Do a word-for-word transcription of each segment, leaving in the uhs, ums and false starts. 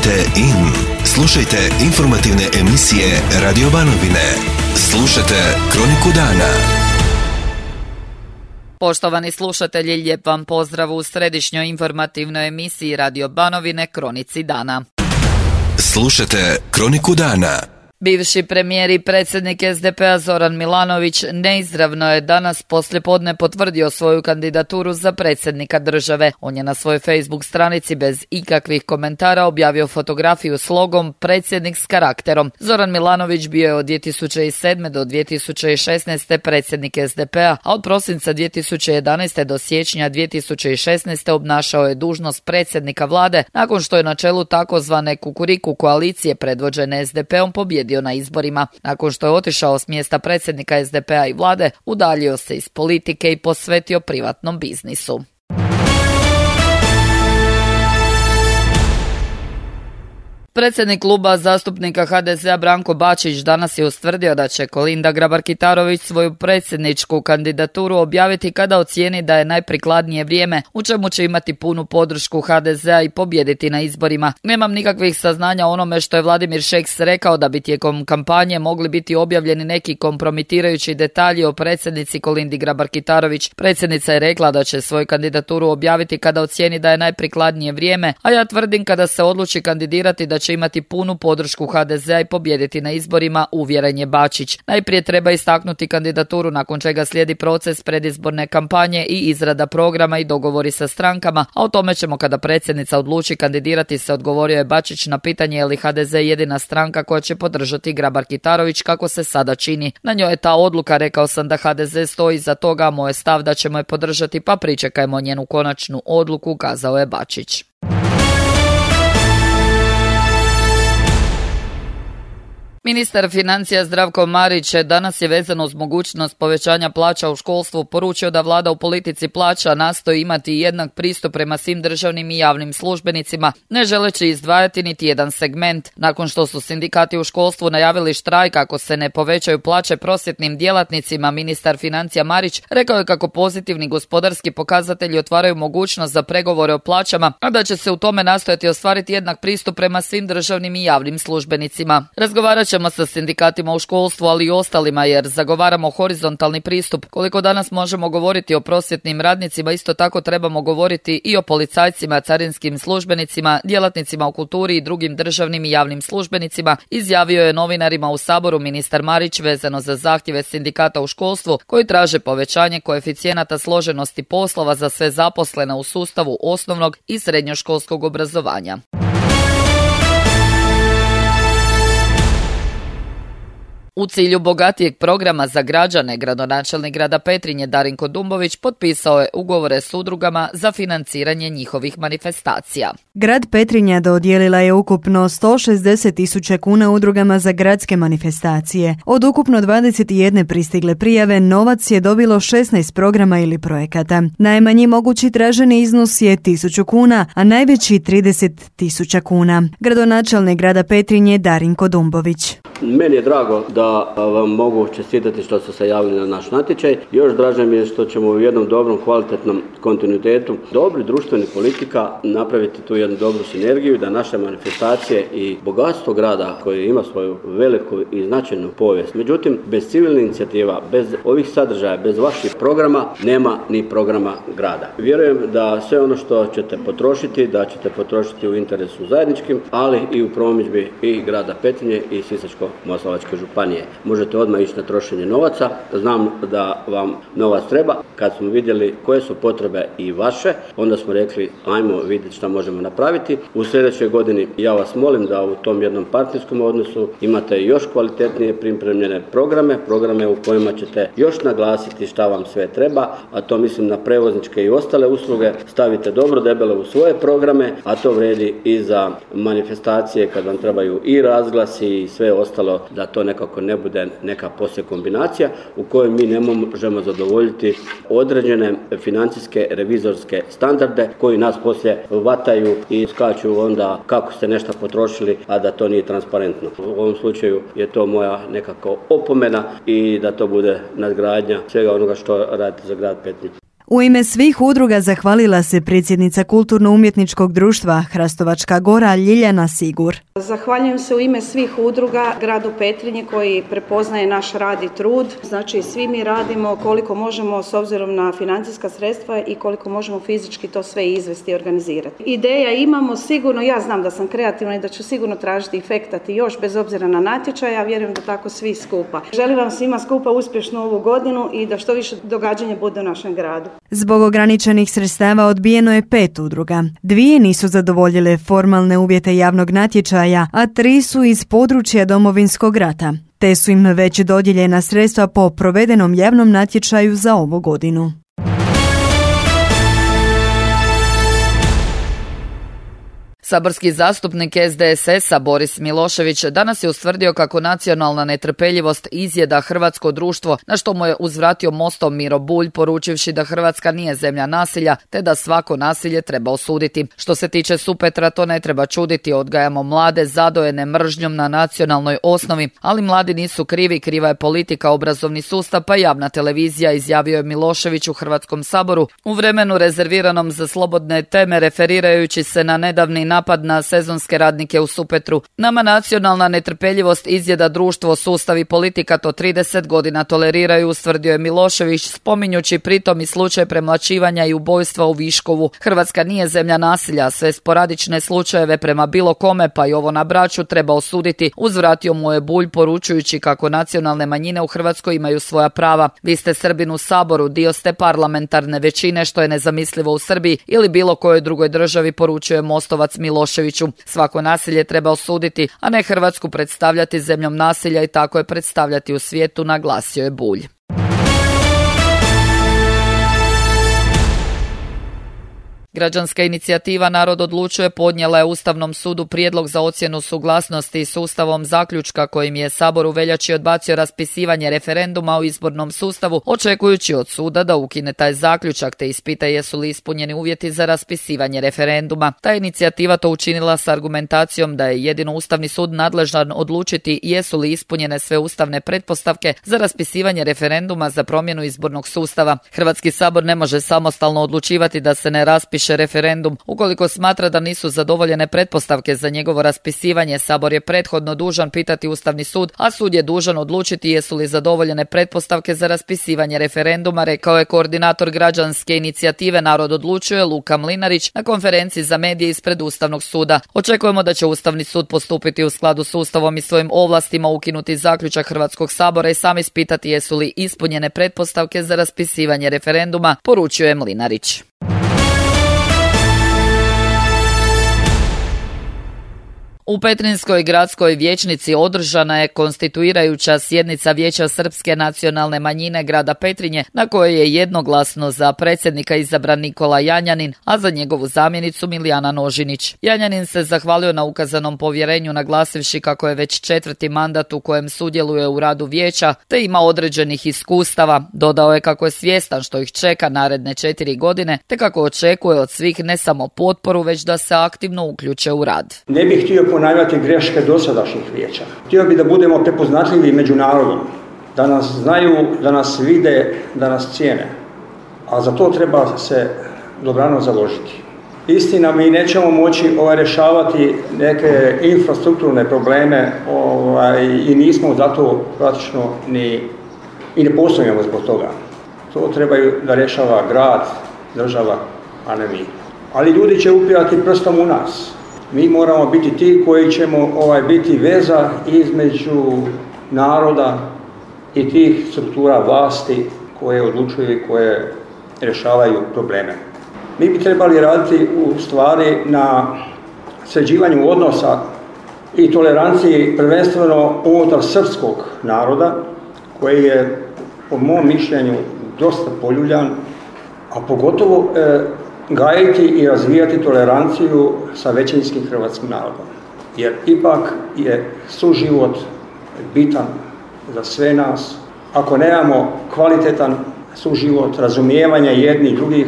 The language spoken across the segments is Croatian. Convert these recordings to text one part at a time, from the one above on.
Kliknite in. Slušajte informativne emisije Radio Banovine. Slušajte Kroniku dana. Poštovani slušatelji, lijep vam pozdrav u središnjoj informativnoj emisiji Radio Banovine Kronici dana. Slušajte Kroniku dana. Bivši premijer i predsjednik es de pe a Zoran Milanović neizravno je danas poslijepodne potvrdio svoju kandidaturu za predsjednika države. On je na svojoj Facebook stranici bez ikakvih komentara objavio fotografiju s logom predsjednik s karakterom. Zoran Milanović bio je od dvije tisuće sedme do dvije tisuće šesnaeste predsjednik es de pe a, a od prosinca dvije tisuće jedanaeste do siječnja dvije tisuće šesnaeste obnašao je dužnost predsjednika vlade nakon što je na čelu takozvane Kukuriku koalicije predvođene es de pe om pobjedio na izborima. Nakon što je otišao s mjesta predsjednika es de pe a i vlade, udaljio se iz politike i posvetio privatnom biznisu. Predsjednik kluba zastupnika ha de ze a Branko Bačić danas je ustvrdio da će Kolinda Grabar-Kitarović svoju predsjedničku kandidaturu objaviti kada ocijeni da je najprikladnije vrijeme, u čemu će imati punu podršku ha de ze a i pobijediti na izborima. Nemam nikakvih saznanja o onome što je Vladimir Šeks rekao da bi tijekom kampanje mogli biti objavljeni neki kompromitirajući detalji o predsjednici Kolindi Grabar-Kitarović. Predsjednica je rekla da će svoju kandidaturu objaviti kada ocijeni da je najprikladnije vrijeme, a ja tvrdim kada se odluči kandidirati da će imati punu podršku ha de ze a i pobijediti na izborima, uvjeren je Bačić. Najprije treba istaknuti kandidaturu, nakon čega slijedi proces predizborne kampanje i izrada programa i dogovori sa strankama, a o tome ćemo kada predsjednica odluči kandidirati se, odgovorio je Bačić na pitanje je li ha de ze jedina stranka koja će podržati Grabar-Kitarović kako se sada čini. Na njoj je ta odluka, rekao sam da ha de ze stoji iza toga, moj je stav da ćemo je podržati, pa pričekajmo njenu konačnu odluku, kazao je Bačić. Ministar financija Zdravko Marić danas je vezano uz mogućnost povećanja plaća u školstvu poručio da vlada u politici plaća nastoji imati jednak pristup prema svim državnim i javnim službenicima, ne želeći izdvajati niti jedan segment. Nakon što su sindikati u školstvu najavili štrajk ako se ne povećaju plaće prosvjetnim djelatnicima, ministar financija Marić rekao je kako pozitivni gospodarski pokazatelji otvaraju mogućnost za pregovore o plaćama, a da će se u tome nastojati ostvariti jednak pristup prema svim državnim i javnim službenicima. Razgovarat ćemo sa sindikatima u školstvu, ali i ostalima, jer zagovaramo horizontalni pristup. Koliko danas možemo govoriti o prosvjetnim radnicima, isto tako trebamo govoriti i o policajcima, carinskim službenicima, djelatnicima u kulturi i drugim državnim i javnim službenicima, izjavio je novinarima u Saboru ministar Marić vezano za zahtjeve sindikata u školstvu koji traže povećanje koeficijenata složenosti poslova za sve zaposlene u sustavu osnovnog i srednjoškolskog obrazovanja. U cilju bogatijeg programa za građane, gradonačelnik grada Petrinje Darinko Dumbović potpisao je ugovore s udrugama za financiranje njihovih manifestacija. Grad Petrinja dodijelila je ukupno sto šezdeset tisuća kuna udrugama za gradske manifestacije. Od ukupno dvadeset jedne pristigle prijave, novac je dobilo šesnaest programa ili projekata. Najmanji mogući traženi iznos je tisuću kuna, a najveći trideset tisuća kuna. Gradonačelnik grada Petrinje Darinko Dumbović. Meni je drago da vam mogu čestitati što ste se javili na naš natječaj. Još draže mi je što ćemo u jednom dobrom, kvalitetnom kontinuitetu dobri društvenih politika napraviti tu jednu dobru sinergiju, da naše manifestacije i bogatstvo grada koje ima svoju veliku i značajnu povijest. Međutim, bez civilne inicijativa, bez ovih sadržaja, bez vaših programa, nema ni programa grada. Vjerujem da sve ono što ćete potrošiti, da ćete potrošiti u interesu zajedničkim, ali i u promidžbi i grada Petrinje i Sisačko-moslavačke županije. Možete odmah ići na trošenje novaca. Znam da vam novac treba. Kad smo vidjeli koje su potrebe i vaše, onda smo rekli ajmo vidjeti šta možemo napraviti. U sljedećoj godini ja vas molim da u tom jednom partnerskom odnosu imate još kvalitetnije pripremljene programe, programe u kojima ćete još naglasiti šta vam sve treba, a to mislim na prevozničke i ostale usluge. Stavite dobro debelo u svoje programe, a to vredi i za manifestacije kad vam trebaju i razglasi i sve ostalo, da to nekako ne bude neka poslije kombinacija u kojoj mi ne možemo zadovoljiti određene financijske revizorske standarde koji nas poslije vataju i skaču onda kako ste nešto potrošili, a da to nije transparentno. U ovom slučaju je to moja nekako opomena i da to bude nadgradnja svega onoga što radite za grad Petrinje. U ime svih udruga zahvalila se predsjednica Kulturno-umjetničkog društva Hrastovačka Gora Ljiljana Sigur. Zahvaljujem se u ime svih udruga gradu Petrinje koji prepoznaje naš rad i trud. Znači svi mi radimo koliko možemo s obzirom na financijska sredstva i koliko možemo fizički to sve izvesti i organizirati. Ideja imamo sigurno, ja znam da sam kreativna i da ću sigurno tražiti i fektati još bez obzira na natječaj, ja vjerujem da tako svi skupa. Želim vam svima skupa uspješnu ovu godinu i da što više događanja bude u našem gradu. Zbog ograničenih sredstava odbijeno je pet udruga. Dvije nisu zadovoljile formalne uvjete javnog natječaja, a tri su iz područja Domovinskog rata. Te su im već dodijeljena sredstva po provedenom javnom natječaju za ovu godinu. Saborski zastupnik S D S S-a Boris Milošević danas je ustvrdio kako nacionalna netrpeljivost izjeda hrvatsko društvo, na što mu je uzvratio mostom Miro Bulj, poručivši da Hrvatska nije zemlja nasilja, te da svako nasilje treba osuditi. Što se tiče Supetra, to ne treba čuditi, odgajamo mlade zadojene mržnjom na nacionalnoj osnovi, ali mladi nisu krivi, kriva je politika, obrazovni sustav pa javna televizija, izjavio je Milošević u Hrvatskom saboru u vremenu rezerviranom za slobodne teme, referirajući se na nedavni napad na sezonske radnike u Supetru. Nama nacionalna netrpeljivost izjeda društvo, sustav i politika to trideset godina toleriraju, ustvrdio je Milošević, spominjući pritom i slučaj premlaćivanja i ubojstva u Viškovu. Hrvatska nije zemlja nasilja, sve sporadične slučajeve prema bilo kome, pa i ovo na Braču, treba osuditi, uzvratio mu je Bulj, poručujući kako nacionalne manjine u Hrvatskoj imaju svoja prava. Vi ste Srbin u Saboru, dio ste parlamentarne većine, što je nezamislivo u Srbiji ili bilo kojoj drugoj državi, poručuje Mostovac Miloševiću. Svako nasilje treba osuditi, a ne Hrvatsku predstavljati zemljom nasilja i tako je predstavljati u svijetu, naglasio je Bulj. Građanska inicijativa Narod odlučuje podnijela je Ustavnom sudu prijedlog za ocjenu suglasnosti s Ustavom zaključka kojim je Sabor u veljači odbacio raspisivanje referenduma o izbornom sustavu, očekujući od suda da ukine taj zaključak te ispita jesu li ispunjeni uvjeti za raspisivanje referenduma. Ta inicijativa to učinila s argumentacijom da je jedino Ustavni sud nadležan odlučiti jesu li ispunjene sve ustavne pretpostavke za raspisivanje referenduma za promjenu izbornog sustava. Hrvatski sabor ne može samostalno odlučivati da se ne raspiše referendum. Ukoliko smatra da nisu zadovoljene pretpostavke za njegovo raspisivanje, Sabor je prethodno dužan pitati Ustavni sud, a sud je dužan odlučiti jesu li zadovoljene pretpostavke za raspisivanje referenduma, rekao je koordinator građanske inicijative Narod odlučuje Luka Mlinarić na konferenciji za medije ispred Ustavnog suda. Očekujemo da će Ustavni sud postupiti u skladu s Ustavom i svojim ovlastima, ukinuti zaključak Hrvatskog sabora i sam ispitati jesu li ispunjene pretpostavke za raspisivanje referenduma, poručuje Mlinarić. U Petrinjskoj gradskoj vijećnici održana je konstituirajuća sjednica Vijeća Srpske nacionalne manjine grada Petrinje, na kojoj je jednoglasno za predsjednika izabran Nikola Janjanin, a za njegovu zamjenicu Milijana Nožinić. Janjanin se zahvalio na ukazanom povjerenju, naglasivši kako je već četvrti mandat u kojem sudjeluje u radu vijeća, te ima određenih iskustava. Dodao je kako je svjestan što ih čeka naredne četiri godine, te kako očekuje od svih ne samo potporu, već da se aktivno uključe u rad. Ne bih htio ponavljati greške dosadašnjih vijeća. Htio bi da budemo prepoznatljivi među narodom, da nas znaju, da nas vide, da nas cijene. A za to treba se dobrano založiti. Istina, mi nećemo moći ovaj, rješavati neke infrastrukturne probleme ovaj, i nismo zato praktično ni, i ne postojimo zbog toga. To trebaju da rješava grad, država, a ne mi. Ali ljudi će upirati prstom u nas. Mi moramo biti ti koji ćemo ovaj, biti veza između naroda i tih struktura vlasti koje odlučuju i koje rješavaju probleme. Mi bi trebali raditi u stvari na sređivanju odnosa i toleranciji prvenstveno unutar srpskog naroda koji je po mom mišljenju dosta poljuljan, a pogotovo e, gajiti i razvijati toleranciju sa većinskim hrvatskim narodom. Jer ipak je suživot bitan za sve nas. Ako nemamo kvalitetan suživot, razumijevanja jednih drugih,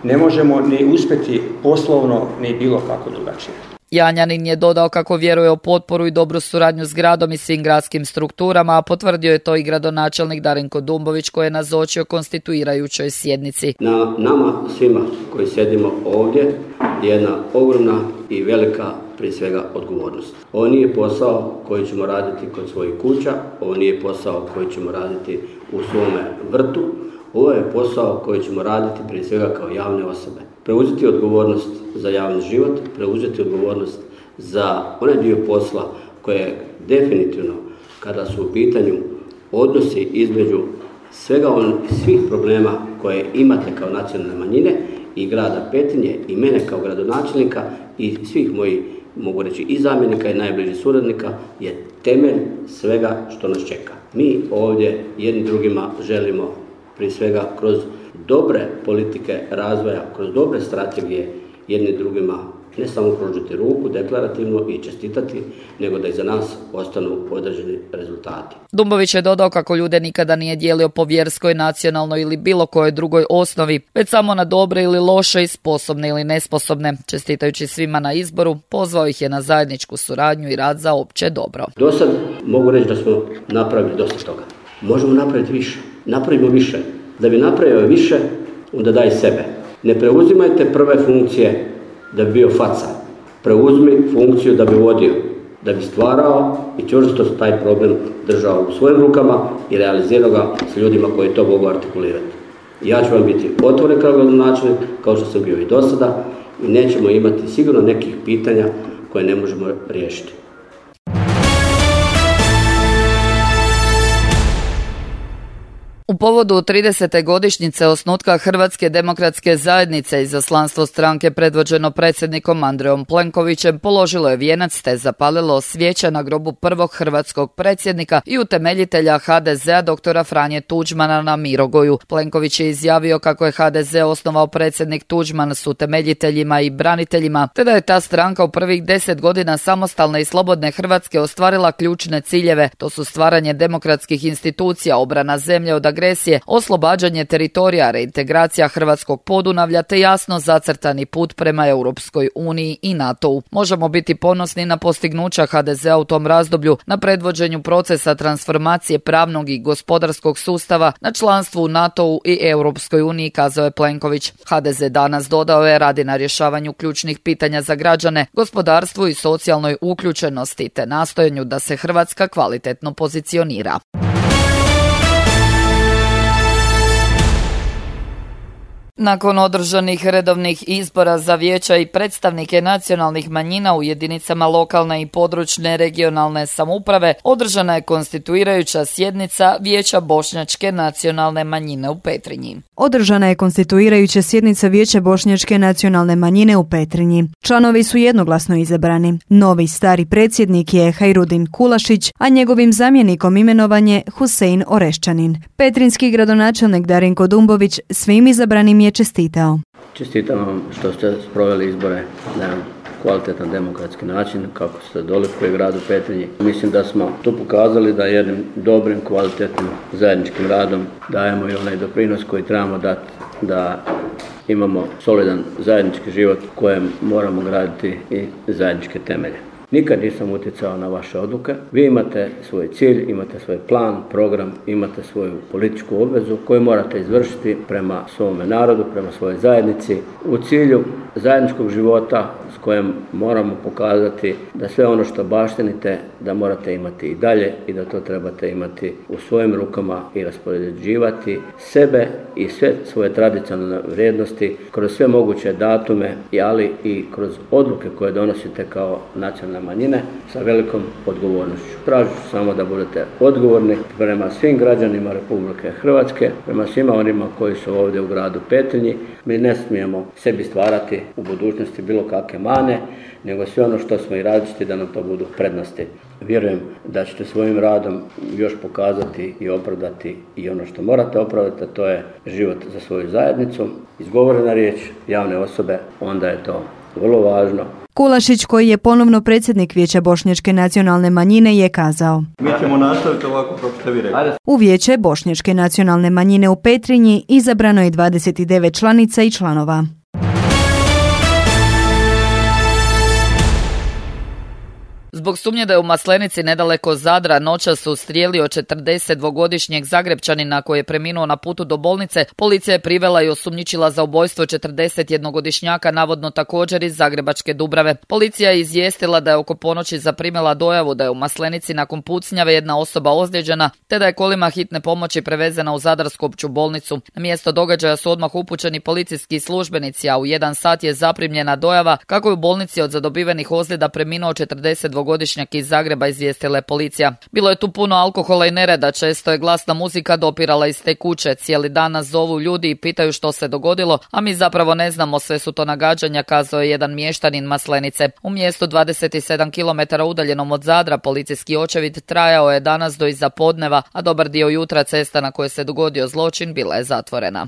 ne možemo ni uspjeti poslovno, ni bilo kako drugačije. Janjanin je dodao kako vjeruje u potporu i dobru suradnju s gradom i svim gradskim strukturama, a potvrdio je to i gradonačelnik Darinko Dumbović koji je nazočio konstituirajućoj sjednici. Na nama svima koji sjedimo ovdje je jedna ogromna i velika prije svega odgovornost. Ovo nije posao koji ćemo raditi kod svojih kuća, ovo nije posao koji ćemo raditi u svome vrtu, ovo je posao koji ćemo raditi prije svega kao javne osobe. Preuzeti odgovornost za javni život, preuzeti odgovornost za onaj dio posla koje je definitivno, kada su u pitanju odnosi između svega on, svih problema koje imate kao nacionalne manjine i grada Petrinje i mene kao gradonačelnika i svih mojih, mogu reći, i zamjenika i najbližih suradnika, je temelj svega što nas čeka. Mi ovdje jedni drugima želimo prije svega kroz dobre politike razvoja, kroz dobre strategije jedni drugima ne samo pružiti ruku deklarativno i čestitati, nego da iza nas ostanu određeni rezultati. Dumbović je dodao kako ljude nikada nije dijelio po vjerskoj, nacionalnoj ili bilo kojoj drugoj osnovi, već samo na dobre ili loše i sposobne ili nesposobne. Čestitajući svima na izboru, pozvao ih je na zajedničku suradnju i rad za opće dobro. Do sad mogu reći da smo napravili dosta toga. Možemo napraviti više. Napravimo više. Da bi napravio više, onda daj sebe. Ne preuzimajte prve funkcije da bi bio faca. Preuzmi funkciju da bi vodio, da bi stvarao i čvrsto taj problem držao u svojim rukama i realizirao ga s ljudima koji to mogu artikulirati. Ja ću vam biti otvoren kao gradonačelnik, kao što sam bio i do sada, i nećemo imati sigurno nekih pitanja koje ne možemo riješiti. U povodu tridesete godišnjice osnutka Hrvatske demokratske zajednice izaslanstvo stranke predvođeno predsjednikom Andrejom Plenkovićem položilo je vijenac te zapalilo svijeće na grobu prvog hrvatskog predsjednika i utemeljitelja ha de zea doktora Franje Tuđmana na Mirogoju. Plenković je izjavio kako je ha de ze osnovao predsjednik Tuđman s utemeljiteljima i braniteljima, te da je ta stranka u prvih deset godina samostalne i slobodne Hrvatske ostvarila ključne ciljeve. To su stvaranje demokratskih institucija, obrana zemlje od agresije, oslobađanje teritorija, reintegracija hrvatskog Podunavlja te jasno zacrtani put prema Europskoj uniji i NATO-u. Možemo biti ponosni na postignuća ha de zea u tom razdoblju, na predvođenju procesa transformacije pravnog i gospodarskog sustava, na članstvu u NATO-u i Europskoj uniji, kazao je Plenković. ha de ze danas, dodao je, radi na rješavanju ključnih pitanja za građane, gospodarstvu i socijalnoj uključenosti te nastojanju da se Hrvatska kvalitetno pozicionira. Nakon održanih redovnih izbora za vijeća i predstavnike nacionalnih manjina u jedinicama lokalne i područne regionalne samouprave, održana je konstituirajuća sjednica Vijeća Bošnjačke nacionalne manjine u Petrinji. Održana je konstituirajuća sjednica Vijeća Bošnjačke nacionalne manjine u Petrinji. Članovi su jednoglasno izabrani. Novi stari predsjednik je Hajrudin Kulašić, a njegovim zamjenikom imenovan je Husein Oreščanin. Petrinjski gradonačelnik Darinko Dumbović svim izabranim je čestitao. Čestitam vam što ste sproveli izbore na kvalitetan demokratski način, kako ste dolikuje gradu Petrinji. Mislim da smo tu pokazali da jednim dobrim, kvalitetnim zajedničkim radom dajemo i onaj doprinos koji trebamo dati da imamo solidan zajednički život kojem moramo graditi i zajedničke temelje. Nikad nisam utjecao na vaše odluke. Vi imate svoj cilj, imate svoj plan, program, imate svoju političku obvezu koju morate izvršiti prema svome narodu, prema svojoj zajednici u cilju zajedničkog života s kojem moramo pokazati da sve ono što baštinite da morate imati i dalje i da to trebate imati u svojim rukama i raspoređivati sebe i sve svoje tradicionalne vrijednosti kroz sve moguće datume, ali i kroz odluke koje donosite kao nacionalne manjine sa velikom odgovornošću. Tražit ću samo da budete odgovorni prema svim građanima Republike Hrvatske, prema svima onima koji su ovdje u gradu Petrinji. Mi ne smijemo sebi stvarati u budućnosti bilo kakve mane, nego sve ono što smo i različiti da nam to budu prednosti. Vjerujem da ćete svojim radom još pokazati i opravdati i ono što morate opravdati, a to je život za svoju zajednicu. Izgovorena riječ javne osobe, onda je to vrlo važno. Kulašić, koji je ponovno predsjednik Vijeća Bošnjačke nacionalne manjine, je kazao: Mi ćemo nastaviti ovako kako ste vi rekli. U Vijeće Bošnjačke nacionalne manjine u Petrinji izabrano je dvadeset devet članica i članova. Zbog sumnje da je u Maslenici nedaleko Zadra noćas ustrijelio četrdesetdvogodišnjeg Zagrepčanina koji je preminuo na putu do bolnice, policija je privela i osumnjičila za ubojstvo četrdesetjednogodišnjaka, navodno također iz zagrebačke Dubrave. Policija je izvijestila da je oko ponoći zaprimila dojavu da je u Maslenici nakon pucnjave jedna osoba ozlijeđena, te da je kolima hitne pomoći prevezena u Zadarsku opću bolnicu. Na mjesto događaja su odmah upućeni policijski službenici, a u jedan sat je zaprimljena dojava kako je u bolnici od zadobivenih ozljeda preminuo četrdesetdvogodišnjak iz Zagreba, izvijestila je policija. Bilo je tu puno alkohola i nereda, često je glasna muzika dopirala iz te kuće. Cijeli dan nas zovu ljudi i pitaju što se dogodilo, a mi zapravo ne znamo, sve su to nagađanja, kazao je jedan mještanin Maslenice. U mjestu dvadeset sedam kilometara udaljenom od Zadra policijski očevid trajao je danas do iza podneva, a dobar dio jutra cesta na kojoj se dogodio zločin bila je zatvorena.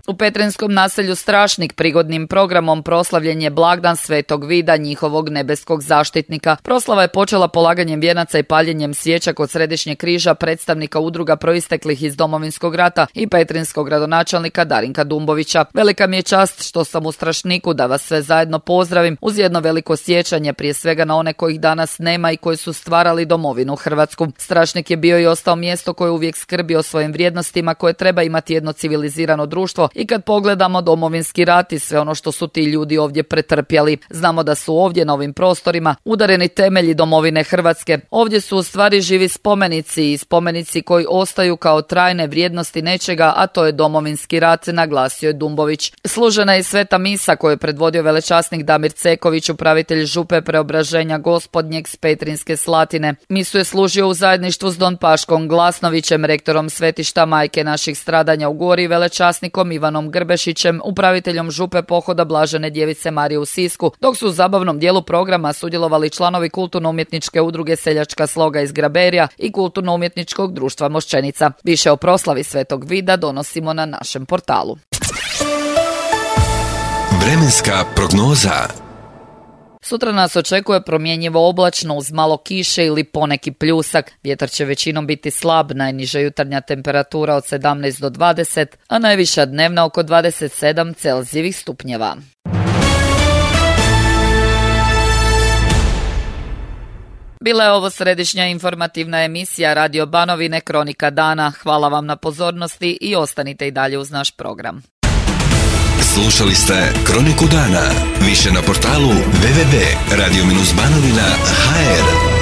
U petrinjskom naselju Strašnik prigodnim programom proslavljen je blagdan Svetog Vida, njihovog nebeskog zaštitnika. Proslava je počela polaganjem vijenaca i paljenjem svijeća kod Središnjeg križa predstavnika udruga proisteklih iz Domovinskog rata i petrinjskog gradonačelnika Darinka Dumbovića. Velika mi je čast što sam u Strašniku da vas sve zajedno pozdravim uz jedno veliko sjećanje prije svega na one kojih danas nema i koji su stvarali domovinu Hrvatsku. Strašnik je bio i ostao mjesto koje uvijek skrbi o svojim vrijednostima koje treba imati jedno civilizirano društvo. I kad pogledamo Domovinski rat i sve ono što su ti ljudi ovdje pretrpjeli, znamo da su ovdje na ovim prostorima udareni temelji domovine Hrvatske. Ovdje su u stvari živi spomenici i spomenici koji ostaju kao trajne vrijednosti nečega, a to je Domovinski rat, naglasio je Dumbović. Služena je sveta misa koju je predvodio velečasnik Damir Ceković, upravitelj župe Preobraženja Gospodnjeg s Petrinjske Slatine. Misu je služio u zajedništvu s Don Paškom Glasnovićem, rektorom svetišta Majke naših stradanja u Gori i velečasnikom Ivanom Grbešićem, upraviteljom župe pohoda Blažene Djevice Marije u Sisku, dok su u zabavnom dijelu programa sudjelovali članovi kulturno-umjetničke udruge Seljačka sloga iz Graberija i kulturno-umjetničkog društva Moščenica. Više o proslavi Svetog Vida donosimo na našem portalu. Vremenska prognoza. Sutra nas očekuje promjenjivo oblačno uz malo kiše ili poneki pljusak. Vjetar će većinom biti slab, najniža jutarnja temperatura od sedamnaest do dvadeset, a najviša dnevna oko dvadeset sedam Celzijevih stupnjeva. Bila je ovo središnja informativna emisija Radio Banovine Kronika dana. Hvala vam na pozornosti i ostanite i dalje uz naš program. Slušali ste Kroniku dana. Više na portalu w w w tačka radio banovina tačka h r.